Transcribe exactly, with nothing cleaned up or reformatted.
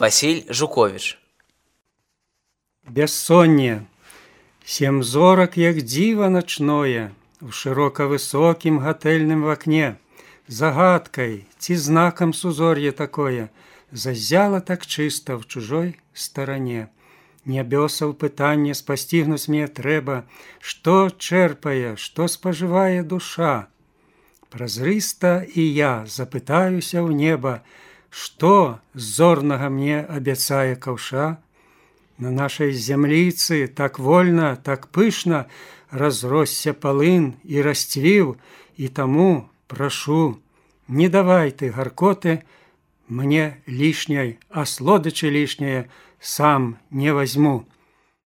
Василь Жукович. Бяссонне. Сем зорак, як дзіва начное, у шырока высокім гатэльным вакне, загадкай ці знакам сузор'е такое, зазяла так чыста в чужой старане. Нябёсаў пытанне спасцігнуць мне трэба, што чэрпае, што спажывае душа. Празрыста і я запытаюся ў неба, што з зорнага мне абяцае каўша. На нашай зямліцы так вольна, так пышна разросся палын і расцвіў, і таму прашу, не давай ты гаркоты мне лішняй, а слодычы лішняе сам не возьму.